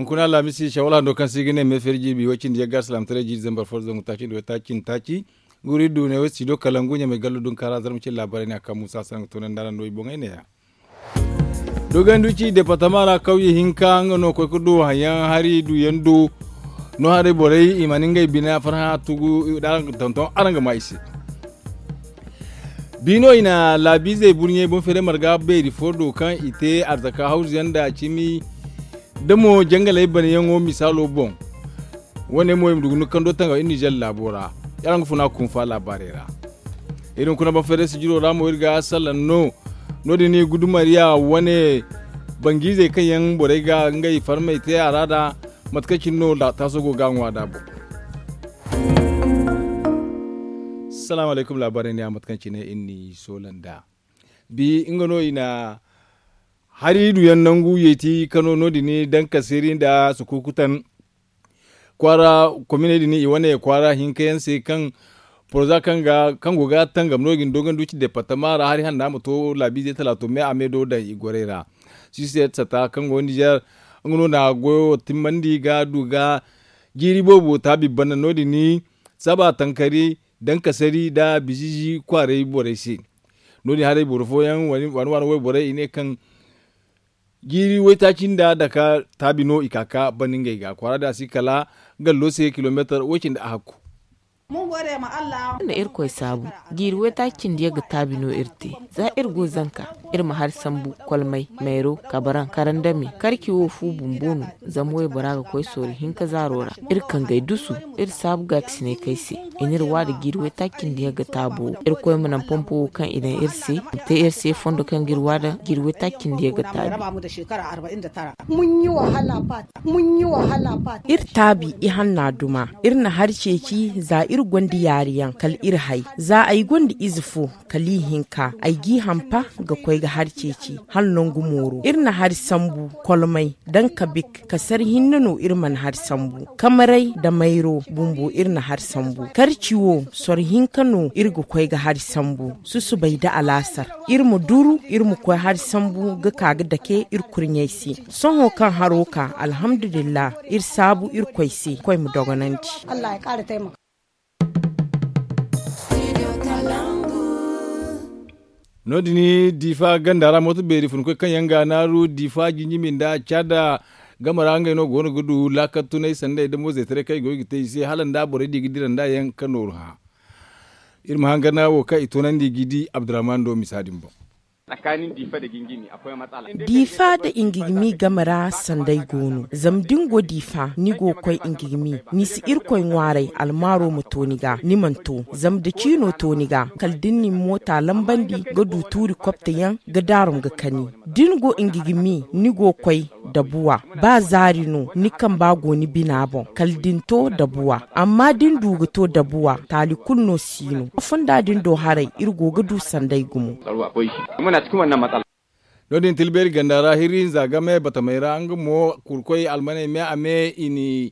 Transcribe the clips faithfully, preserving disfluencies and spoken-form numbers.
Kuna laamisi shawal hando kaŋ se i ga ne meefeeri jirbi way cindi yagga alsilaamataray jiiri zambar fo zangu taaci nda way taaci nda taaci. Guri du ne way studio kalangu ɲamay gallo dunkaara zarma cine laabaarey ne a kaŋ muusa sanga toonandi araŋ no i boŋey ne-ya. Dogonduci departama ra kawye hinka nga no koy ga du haŋyaŋ hari duyaŋ do. No haray borey i mana ngey bina farhã tugu da araŋ ga tonton araŋ ga ma i se. Bi no i na laabiizey burɲey boŋ feeray marga beeri fo do kaŋ i te arzaka hawzu yaŋ nda cimi da mo jangaley banayaŋo misaalo boŋ. Wane mo i ma du ga nukando tanga iri nizer laabo ra. Araŋ ga funa kunfa laabaarey ra. Iri hunkuna boŋ feeray sijiro ra mo iri ga salaŋ no. No- din i gudumariya wane bangiizey kaŋ yaŋ borey ga ngey farmey te a ra da mate kaŋ cine no taaso go ga a ŋwa da boŋ. Salaamu alaykum laabaarey ne a mate kaŋ cine iri n'i soola nd'a. Bi nga no i na hari duyaŋ nangu yeeti kano no- din dankasiri nda sukukutan kwaara kominey din i wane kwaara hinka yaŋ se kaŋ poroza kaŋ go ga tangam no- din dogonduci departama ra hari hanna ma to laabiizey talaato me a me do daŋ i gorey ra. Sisiyet sata kaŋ go nizer nga no na goyo timmandi ga du ga jiiri boobo taabi banda no- din saba tankari dankasari nda bizizi kwaaray borey se. No- din haray boro fooyaŋ waani waani wayborey i ne kaŋ jiiri waytaaci nda daka taabi no i ka ka banda ngey ga kwaara da a si kala gallo se kilomeetar way cindi a hakku. Nda irkoy saabu jiiri waytaaci cindi yaŋ ga taabi no iri te. Za iri go zanka iri ma hari sambu kolmay mayro kabaran karandami karci wo fu bumbo no. Zama waybora ga koy sooru hinka zaaro ra iri kangey dusu iri saabu gaakasinay kay se. I n'iri waada jiiri waytaaci cindi yaŋ ga taabu wo irkoy ma naŋ pompo wo kaŋ i daŋ iri se. I ma te iri se fondo kaŋ ga iri waada jiiri waytaaci cindi yaŋ ga taabu. Iri taabi ihanna duma iri na hari ceeci za iri gonda yaari yaŋ kala iri hay. Za ay gonda ize fo kala ihinka ay g'i hampa ga koy ga hari ceeci hala nangu mooro iri na hari sambu kolmay daŋ kabik kasar hinne no iri mana hari sambu kamaray nda mayro bumbo iri na hari sambu karci wo soro hinka no iri ga koy ga hari sambu susubay nda alaasar iri ma duru iri ma koy hari sambu ga ka ga dake iri kurɲey se. Sohõ kaŋ haro ka alhamdulillah iri saabu irkoy se koy ma dogonandi. No- din diifa ganda ra mooto beeri funkoy kaŋ yaŋ ga a naaru diifa jinjimi nda caada game ra ngey no go no ga du laakal tunay sanda i damo zeetaray kaŋ i go ga te i se hala nda borey di ga dira nda yaŋ ka nooru hã. Iri ma hangan wo kaŋ i toonandi ga i di abdurrahman do misa din boŋ. Diifa nda ingigimi game ra sanday go no zama da ni go diifa ni go ga koy ingigimi ni si irkoy ŋwaaray almaaro ma to ni ga ni mana to zama da ciino to ni ga kala da ni na ni moota lambandi ga du tuuri kopte yaŋ ga daarum ga kani da ni go ingigimi ni go ga koy dabuwa ba zaari no ni kamba go ni bina boŋ kala da ni to dabuwa amma da ni du ga to dabuwa taali kulu no si no fonda din do haray iri go ga du sanday gumo. No- din tilbeeri ganda ra hirri hinza game batamey ra nga mo kurkoy almaney me a me i n'i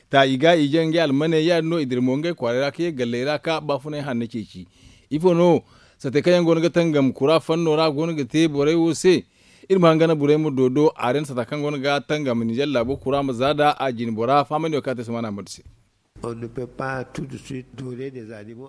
ta i ga i je ngey almaney ya- din no i dira mo ngey kwaaray ra ka ye galley ra ka baafunay hanno ceeci. Ifo no sate kaŋ yaŋ go no ga tangam kura fanno ra go no ga te borey wo se? Iri ma hangan borey ma doodo a ra ni sata kaŋ go no ga tangam ninzeer laabo kura ma za da a jine bora fahamandi wo kaŋ a te samaana ma du se.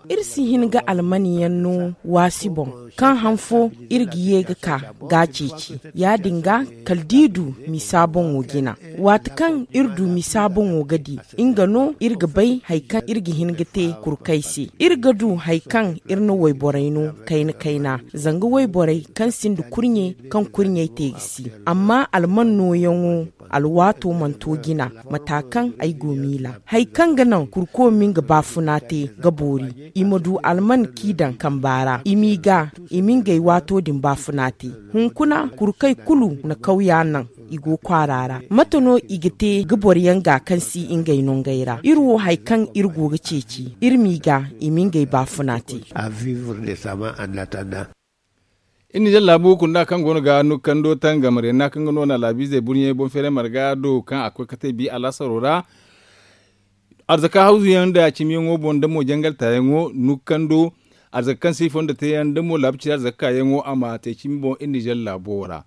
Iri si hin ga almani yaŋ no waasi boŋ kaŋ han fo iri ga ye ga ka ga a ceeci ya- din ga kala da i du misa boŋo jina. Waati kaŋ iri du misa boŋo ga di nga no iri ga bay hari kaŋ iri ga hin ga te kurkey se. Iri ga du hari kaŋ iri na wayborey no kayna kayna zanga wayborey kaŋ sinda kurɲe kaŋ kurɲey te ga si. Amma alman nooyaŋo alwaato mana to jina mata kaŋ ay go miila hari kaŋ ga naŋ kurko ma nga baafuna te ga boori i ma du alman kaŋ i daŋ kamba ra i m'i ga i ma ngey waato din baafuna te. Hunkuna kurkey kulu na kawya naŋ i go kwaara ra mate no i ga te ga boro yaŋ ga kaŋ si ngey nongey ra iri wo hari kaŋ iri go ga ceeci iri m'i ga i ma ngey baafuna te. Iri nizeer laabu kunda kaŋ go no ga nukkando tangam renna kaŋ ga no na laabiizey burɲey boŋ feeray marga do kaŋ a koy kate bi alaasaro ra. Arzaka hawzu yaŋ nda cimiyaŋo boŋ nda mo jangal taayaŋo nukkando arzaka kaŋ se i fondo teeyaŋ nda mo laabu cine arzaka kaayaŋo a ma te cimi boŋ iri nizeer laabo ra.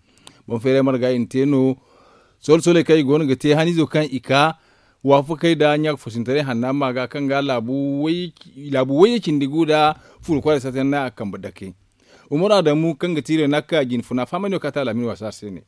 Boŋ feeray marga i na te no. Soole sooley kaŋ i go no ga te haniizo kaŋ i ka waafakey nda ɲaaka foosintaray hanna ma ga kaŋ ga laabu wayye cindi gu nda furo kwaaray sata yaŋ no a kambe dake. Umaru adamu kaŋ ga ti renaka jinfuna fahamay no kaŋ a te alaamin waasa se ne.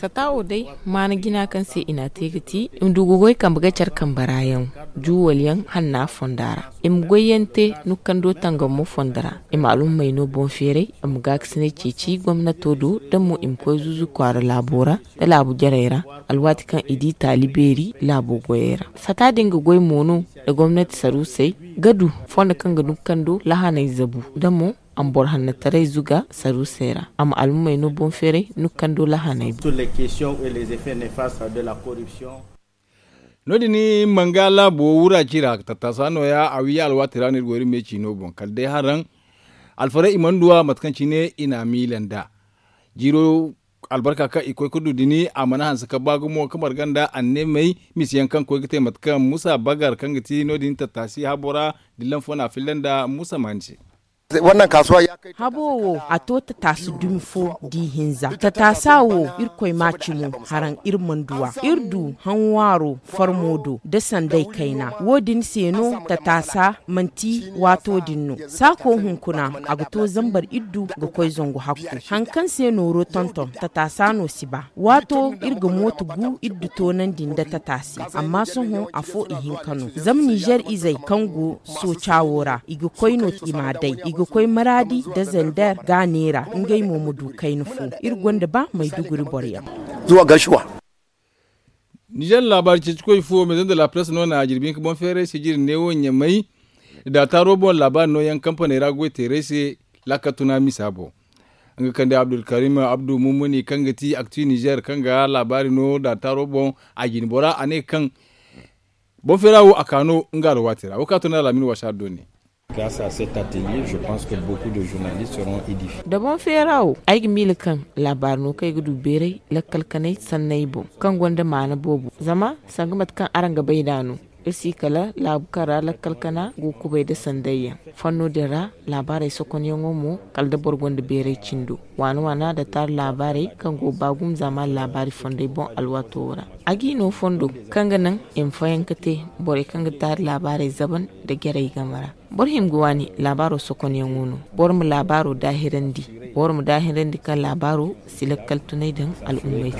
Sata wo day maana jina kaŋ se i n'a te ga ti i ma du ga goy kambe ga care kambe ra yaŋ juuwal yaŋ hanna fonda ra. I ma goy yaŋ te nukando tangamo fondo ra. I ma alhummey no boŋ feeray i ma gaakasinay ceeci gomnato do da mo i ma koy zuuzu kwaara laabo ra nda laabu jarey ra. Alwaati kaŋ i di taali beeri laabo goyey ra sata din ga goy mo no nda gomnati saruusey ga du fondo kaŋ ga nukando lahaney zabu da mo a ma boro hannataray zuga saruusey ra a ma alhummey no boŋ feeray nukando lahaney boŋ. No- din manga laabo wura ci ra tattaasa nooya a wi alwaati ra no iri go iri me ciino boŋ kala day haraŋ alfaray i mana du a mate kaŋ cine i n'a miila nd'a jiiro albarka kaŋ i koy ga du din a mana hanse ga ba gumo ga marga nda anneemey misa yaŋ kaŋ koy ga te mate kaŋ musa bagar kaŋ ga ti no- din tattaasi habo ra dillan fo no a filla nda musa maani se. Habo wo a to tataasi dumi fo da i hinza tataasa wo irkoy ma a cimo haraŋ iri mana du a iri du haŋwaaro farmo do nda sanday kayna wo- din se no tataasa manti waato din no saako hunkuna a ga to zambar iddu ga koy zangu hakku haŋ kaŋ se nooro tonton tataasa no si ba waato iri ga mooto gu iddu toonandi nda tataasi amma sohõ afo ihinka no zama nizer izey kaŋ go sooca wo ra i ga koy no i m'a day i ga koy maraadi nda zander ga a neera ngey mo ma du kayna fo iri gonda ba mayduguri boro yaŋ. Nizer laabaari ceecikoy fo maison de la presse no na a jirbi hinka boŋ feeray sijiri neewo ɲamay da taaro boŋ laabaari nooyaŋ kampaney ra goy teeray se laakal tuna misa boŋ nga kande abdulkarim abdu mumuni kaŋ ga ti akti nizer kaŋ ga laabaari no da taaro boŋ a jine bora a ne kaŋ boŋ feera wo a ka no nga alwaati ra wo kaŋ a tun da alaamin waasa dooni. Da boŋ feera wo ay ga miila kaŋ laabaari no kaŋ ay ga du beeray lakkal kanay sanney boŋ kaŋ gonda maana boobo zama sanga mate kaŋ araŋ ga bay nd'a no iri si kala laabu kaŋ ra lakkal kana go ga kubay nda sanday yaŋ fanno din ra laabaarey sokonyaŋo mo kala da boro gonda beeray cindo waana waana nda taari laabaarey kaŋ go ga ba gumo zaamaani laabaari fondey boŋ alwaato wo ra a g'i no fondo kaŋ ga naŋ i ma fayanka te borey kaŋ ga taari laabaarey zaban nda jarey game ra boro hima ga waani laabaaro sokonyaŋo no boro ma laabaaro daahirandi boro ma daahirandi kaŋ laabaaro si lakkal tunay daŋ al'ummey se.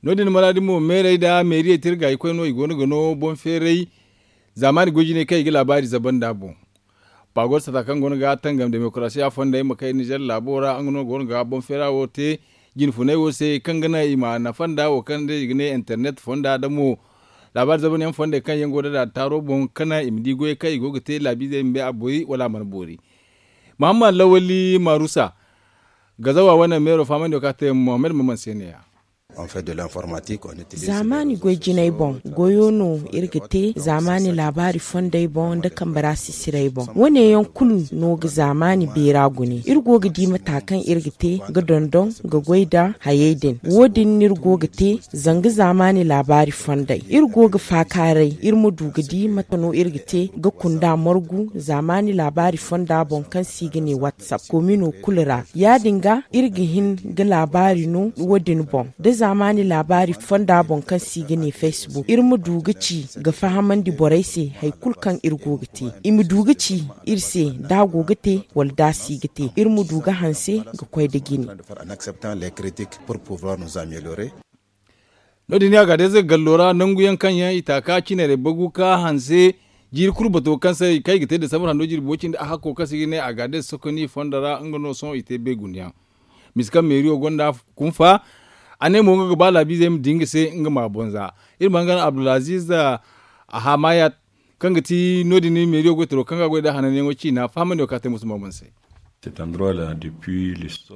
No- din maraadi mo meerey nda meeriyey tirgaykoy no i go no ga no boŋ feeray zaamaani goy jinay kaŋ i ga laabaari zaban nd'a boŋ. Baagor sata kaŋ go no ga tangam demokarasiya fondey ma kay nizer laabo ra nga no go no ga boŋ feera wo te jinfunay wo se kaŋ ga naŋ i ma nafa nda wo kaŋ day i ga ne internet fonda da mo laabaari zaban yaŋ fondey kaŋ yaŋ go da da taaro boŋ ka naŋ i ma di goyey kaŋ i go ga te laabiizey ma bay a boori wala a mana boori. Muhammad lawali marusa gazawa wane meero fahamandi wo kaŋ a te mohammed maman se ne ya. Zaamaani goy jinay boŋ goyo no iri ga te zaamaani laabaari fondey boŋ nda kambe ra sisirey boŋ wo- ne yaŋ kulu no ga zaamaani beera gune iri go ga di mata kaŋ iri ga te ga dondon ga goy nda hayey din wo- din no iri go ga te zanga zaamaani laabaari fondey iri go ga faakaaray iri ma du ga di mate no iri ga te ga kunda margu zaamaani laabaari fonda boŋ kaŋ se i ga ne whatsapp komino kulu ra ya- din ga iri ga hin ga laabaari no wo- din boŋ da zaamaani laabaari fonda boŋ kaŋ se i ga ne facebook iri ma du ga ci ga fahamandi borey se hari kulu kaŋ iri go ga te i ma du ga ci iri se da a go ga te wala da a si ga te iri ma du ga hanse ga koy nda jine. No- din ya ga day zay gallo ra nangu yaŋ kaŋ yaŋ i ta ka cinarey bagu ka hanse jiiri kulu bato kaŋ se kaŋ i ga te da samar hando jirbi wo- cindi a hakko kaŋ se i ga ne a ga day sokoni fondo ra nga no sohõ i te beegundiyaŋ. Misa kaŋ meeriyo gonda kunfa a ne mo nga ga ba laabiizey ma di nga se nga ma boŋ za iri ma hangan abdulaziz ahamayat kaŋ ga ti no- din meeriyo goytaro kaŋ ga goy nda hananyaŋo ciina fahamandiyo kaŋ a te musu ma boŋ se.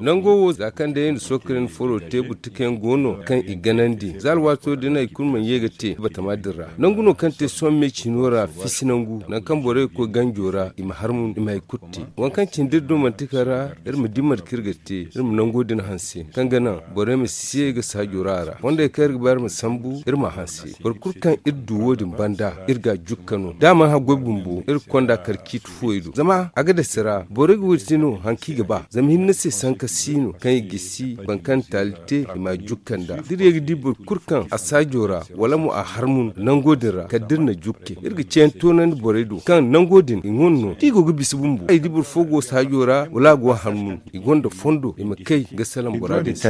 Nango wo za kaŋ day i na sookarin foro te burtukayaŋ go no kaŋ i ganandi za alwaato din hari kulu mana ye ga te batama din ra. Nangu no kaŋ te sohõ me ciino ra fisi nangu nangu kaŋ borey ga koy ganjo ra i ma harmun i ma hari kulu te. Waŋ kaŋ cindi iri do manti kala ra iri ma di mate kaŋ iri ga te iri ma nango din hanse kaŋ ga naŋ borey ma si ye ga saajo ra a ra fondey kaŋ iri ga ba iri ma sambu iri ma a hanse. Boro kulu kaŋ iri du wo- din banda iri ga a jukka no da a mana haggoy bumbo iri ga konda kala ciiti fuwey do zama a ga dase ra borey ga wiri te no hari kaŋ i ga ba zama hinne se sanka si no kaŋ i gisi boro kaŋ na taali te i ma a jukka nda da iri ye ga di boro kulu kaŋ a saajo ra wala mo a harmun nango din ra kala da iri na jukke iri ga ceeyaŋ toonandi borey do kaŋ nango din i ŋun no da i go ga bisa bumbo ay di boro fo go saajo ra wala a go ga harmun i gonda fondo i ma kay ga salaŋ bora din se.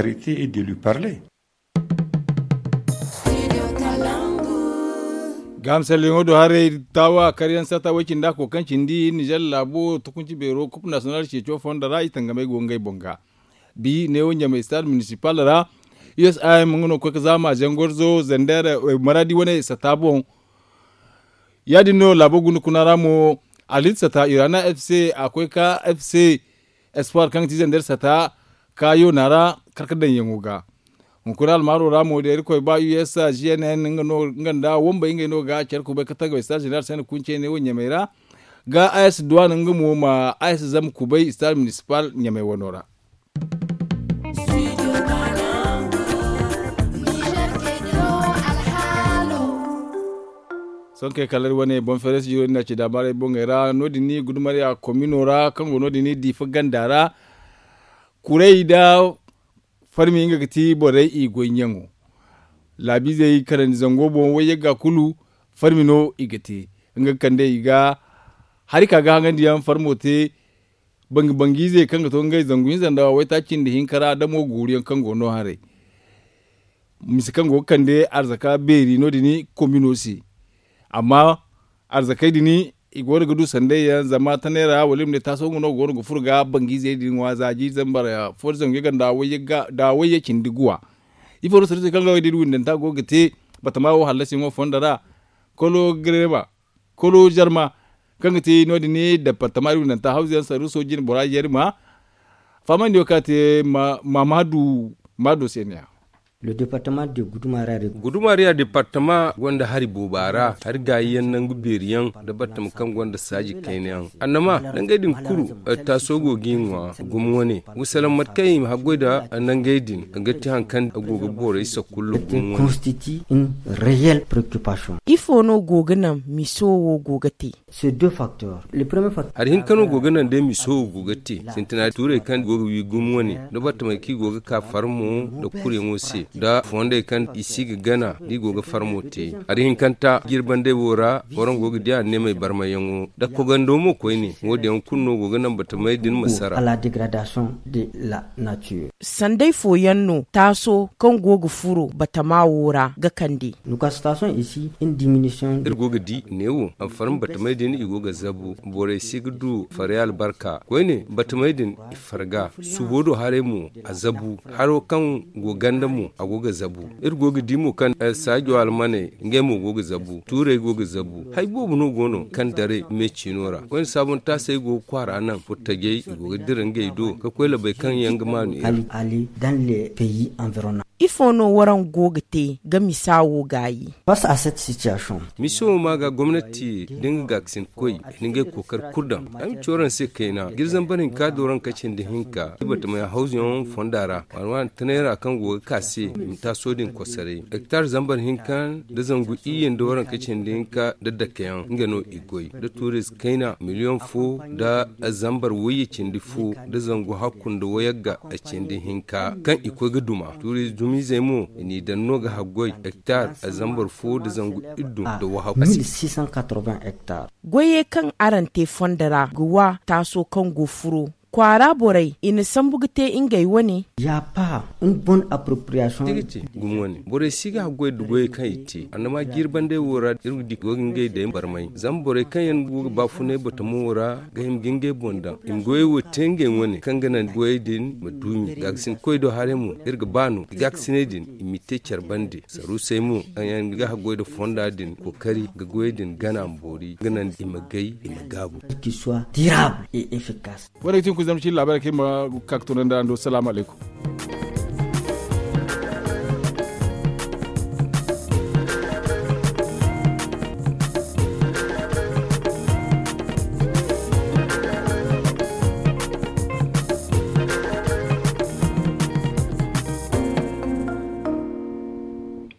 Gahamsalyaŋo do haray taawa karyaŋ saata way cindi a kookaŋ cindi nizer laabo tukunci beero kup nasiyonal ceeco fondo ra i tangamay go ngey boŋ ga. Bi neewo ɲamay stade municipal ra usim nga no ga koy ga zaama zangorzo zander maradi wane sata boŋ. Ya- din no laabo guna kuna ra mo alit sata irana fc a koy ka fc espoir kaŋ ga ti zander sata ka yoona ra karkadaŋyaŋo ga. Hunkuna almaaro ra mo da irkoy ba usa gnn nga nda wambey ngey no ga care kubay ka tagay stade general sene kunce ne wo ɲamey ra ga as duwan nga mo ma as zama kubay stade municipal ɲamey wano ra. Sonkey kala iri wane boŋ feere sijiro din na ci daamaarey boŋey ra no- din ni gudumariya komino ra kaŋ go no- din ni diifa ganda ra. Kuray da farmi nga ga ti borey i goyyaŋo laabiizey kanandi zango boŋ wayyagga kulu farmi no i ga te. Nga ga kande i ga hari ka ga haŋandi yaŋ farmo te bangi-bangi izey kaŋ ga to ngey zangu hinza nda waytaaci nda hinka ra damo guuru yaŋ kaŋ go no haray. Mise kaŋ go ga kande arzaka beeri no- din komino se. Amma arzakey din i go no ga du sanday yaŋ zama tanay ra wala i ma ne taaso nga no go no ga furo ga bangi izey din ŋwa za jiiri zambar fo da zangu yagga nda wayye cindi guwa. Ifo no sarusey kaŋ ga wo din windanta go ga te batama wo hallasi yaŋo fondo ra kolo gareba kolo zarma kaŋ ga te no- din ne departama iri windanta hawzu yaŋ saruso jine bora zarma. Fahamandi wo kaŋ a te mamadu maado se ne ya. Gudumariya departama gonda hari booba ra hari gaayi yaŋ nangu beeri yaŋ nda batama kaŋ gonda saaji kayna yaŋ annama nangey din kulu. Taaso go ga i ŋwa gumo wane ga salaŋ mate kaŋ i ma haggoy nda nangey din ga ti hari kaŋ a go ga borey sakullo gumo wane. Ifo no go ga naŋ miso wo go ga te? Hari hinka no go ga naŋ day miso wo go ga te sintina tuurey kaŋ go ga wi gumo wane nda battamey kaŋ i go ga ka farmo nda kuryaŋo se nda fondey kaŋ i si ga gana da i go ga farmo te. Hari hinkanta jirbandey wo ra waraŋ go ga di anneemey barmayyaŋo nda kogando mo koyne wo- din yaŋ kulu no go ga naŋ battamey din ma sara. Sanday fooyaŋ no taaso kaŋ go ga furo batama wo ra ga kande? Iri go ga di neewo a farma batamey din i go ga zabu borey si ga du farey albarka koyne batamey din i farga subo do haray mo a zabu haro kaŋ go ganda mo a go ga zabu. Iri go ga di mo kaŋ saajo almaney ngey mo go ga zabu tuurey go ga zabu hari boobo no go no kaŋ daray me ciino ra koyne saabuntaasey go ga kwaara naŋ furtajey i go ga dira ngey do ka koy labey kaŋ yaŋ ga maanu iri. Ifo no waraŋ go ga te ga misa wo gaayi? Miso wo ma ga gomnati da nga gaakasinkoy i na ngey kookari kulu daŋ ay ma ci waraŋ se kayna jiri zambar hinka da waraŋ ka cindi hinka i batamey hawzuyaŋ fonda ra waani waani tanay ra kaŋ go ga ka se i ma taaso din kosoray hektar zambar hinka nda zangu iyye nda waraŋ ka cindi hinka nda dakeyaŋ nga no i goy nda tuuriize kayna miliyoŋ fo nda zambar wayye cindi fo nda zangu hakku nda wayagga cindi hinka kaŋ i koy ga duma tuuriize dumizey mo i n'i daŋ no ga haggoy hektar zambar fo nda zangu iddu nda wahakku. Goyey kaŋ araŋ te fondo ra ga wa taaso kaŋ go furo kwaara borey i na sambu ga te ngey wane? Gumo wane borey si ga haggoy nda goyey kaŋ i te annama jiiri bandey wo ra iri ga di go ga ngey day barmay zama borey kaŋ yaŋ go ga baafunay batamo wo ra ga hima ga ngey boŋ daŋ i ma goyey wo te ngey wane kaŋ ga naŋ goyey din ma duumi gaakasinkoy do haray mo iri ga ba no i gaakasiney din i m'i te care bande saruusey mo kaŋ yaŋ ga haggoy nda fonda din kookari ga goyey din gana ma boori ga naŋ i ma gay i ma gaabu. Wane ga ti Kuzam ci laabaarey kaŋ iri ma ka ga toonandi araŋ do salaamu alaykum.